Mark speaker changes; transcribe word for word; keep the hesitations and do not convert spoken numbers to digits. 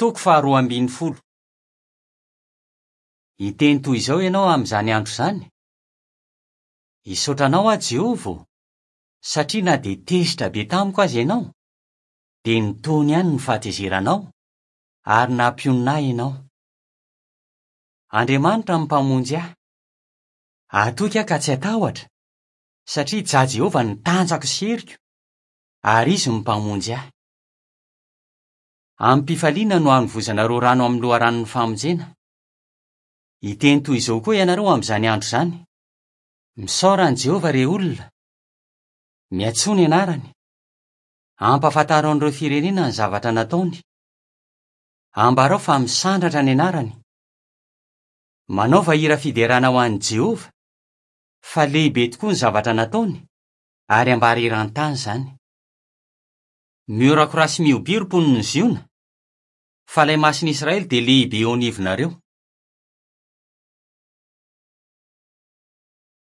Speaker 1: Toko faharoa ambin'ny folo. Hiteny toy izao ianao amin'izany andro izany: Hisaotra anao aho Jehovah ô, satria na dia tezitra be tamiko aza ianao, dia nitony ihany ny fahatezeranao ary nampionona ahy ianao. Andriamanitra no Mpamonjy ahy. Hatoky aho ka tsy hatahotra, satria Jah Jehovah no tanjako sy heriko, ary Izy no Mpamonjy ahy. Amim-pifaliana no hanovozanareo rano amin'ny loharanon'ny famonjena. Hiteny toy izao koa ianareo amin'izany andro izany: Misaora an'i Jehovah, rey olona! Miantsoa ny anarany! Ampahafantaro an'ireo firenena ny zavatra nataony. Ambarao fa misandratra ny anarany. Manaova hira fiderana ho an'i Jehovah, fa lehibe tokoa ny zavatra nataony, ary ambara eran-tany izany. Miorakoraha sy mihobia ry mponin'i Ziona, fa ilay Masin'i Israely dia lehibe eo anivonareo.